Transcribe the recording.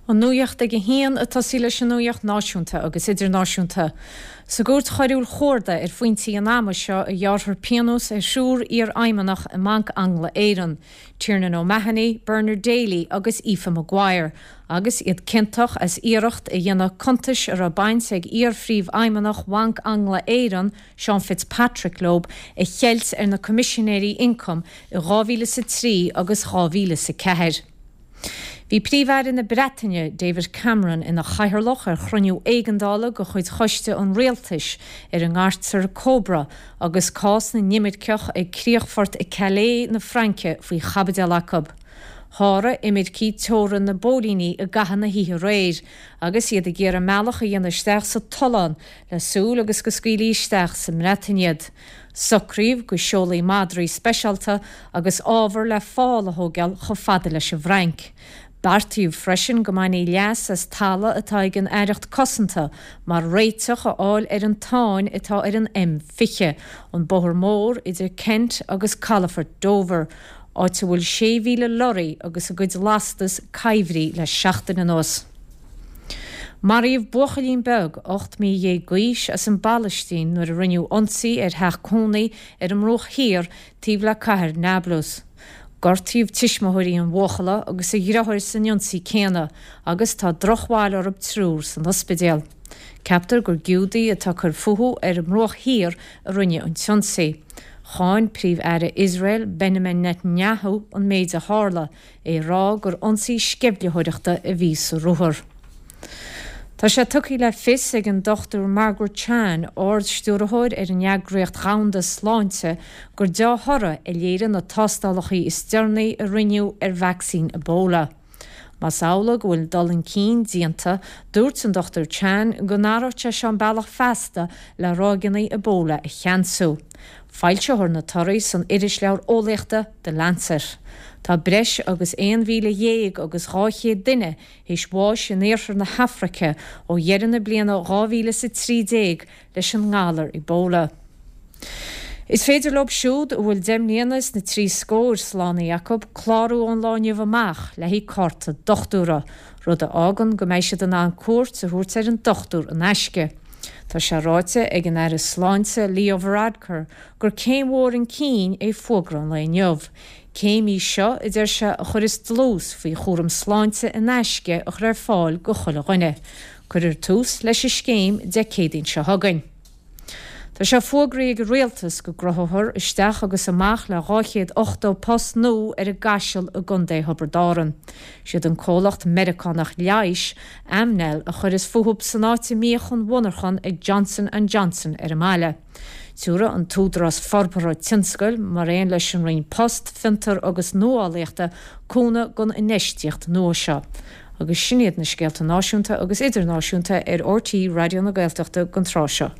An Nuacht ag a haon ag tosaí leis an nuacht náisiúnta agus idirnáisiúnta. Sa gCúirt Choiriúil Chuarda ar phointí an ama seo a ghearrfar pionós ar thriúr iarfheidhmeannach i mBanc Angla-Éireann, Tiernan O'Mahony, Bernard Daly agus Aoife Maguire, agus iad ciontach as iarracht a dhéanamh cuntais a raibh baint ag iar-phríomhfheidhmeannach Bhanc Angla-Éireann, Seán Fitzpatrick leo, a cheilt ar na Coimisinéirí Ioncaim i 2003 agus 2004. Bhí Príomh-Aire na Breataine, David Cameron, ina chathaoirleach ar chruinniú éigeandála de chuid Choiste an Rialtais ar a ngairtear Cobra agus cás na n-imirceach ag críochfort i Calais na Fraince faoi chaibideal acu. Sháraigh imircigh teorainn na bpóilíní i gcaitheamh na hoíche aréir agus iad ag iarraidh a mbealach a dhéanamh isteach sa tollán le súil agus go scaoilfí isteach sa mBreatain iad. Socraíodh go seolfaí madraí speisialta agus ábhar le fál a thógáil chomh fada leis an bhFrainc. Beartaíodh freisin go mbainfí leas as talamh atá ag an Aireacht Cosanta mar réiteach a fháil ar an tsáinn atá ar an M20, an bóthar mór idir Kent agus calafort Dover, áit a bhfuil 6,000 lorraí agus a gcuid lastas coimhthí le seachtain anuas. Maraíodh buachaillín beag 18 mí d'aois as an bPalaistín nuair a rinneadh ionsaí ar theach cónaí ar an mBruach Thiar taobh le cathair Nablus. Gortaíodh tuismitheoirí an bhuachalla agus a dheartháir san ionsaí céanna agus tá drochbhail orthu triúr san ospidéal. Ceaptar gur Giúdaigh atá ag cur fúthu ar an mBruach Thiar a rinne an t-ionsaí. Cháin Príomh-Aire Iosrael Benjamin Netanyahu an méid a tharla. é ag rá gur ionsaí sceimhlitheoireachta a bhí sa ruathar. Tá sé tugtha le fios ag an Dr Margaret Chan, Ard-Stiúrthóir ar an Eagraíocht Dhomhanda Sláinte, gur deá-thoradh a léirigh na tástálacha is deireanaí a rinneadh ar vacsaín Ebola. Más amhlaidh go bhfuil dul chun cinn déanta, dúirt an Dr Chan go n-athródh sé seo an bealach feasta le ráigeanna Ebola a cheansú. Foilseofar na torthaí san irisleabhar eolaíochta The Lancet. Tá breis agus 11,200 duine théis bháis in iarthar na hAfraice ó dheireadh na bliana 2013 leis an ngalar Ebola. Is féidir leo siúd a bhfuil 10 mbliana is na trí scóir slánaithe acu clárú ón lá inniu amach le haghaidh cárta dochtúra, rud a fhágann go mbeidh siad in ann cuairt a thabhairt ar an dochtúir in aisce. Tá sé ráite ag an Aire Sláinte Leo Varadkar gur céim mhór chun cinn é fógra an lae inniu. Céim í seo, a deir sé, a chuireas dlús faoi chúram sláinte in aisce a chur ar fáil go chuile dhuine. Cuirfear tús leis an scéim Dé Céadaoin seo chugainn. Tá sé fógraithe ag an Rialtas go gcruthófar isteach agus amach le 280 post nua ar an gCaiseal i gContae Thiobraid Árann. Siad an comhlacht Meiriceánach leighis, Amneal, a chuireas fúthu san áit a mbíodh an mhonarchan ag Johnson and Johnson ar an mbaile. Tabharfaidh an tÚdarás Forbartha Tionscail, mar aon leis an Roinn Post, Fiontar agus Nuálaíochta, cúnamh don infheistíocht nua seo. Agus sin iad na scéalta náisiúnta agus idirnáisiúnta ar RTÉ Raidió na Gaeltachta don tráth seo.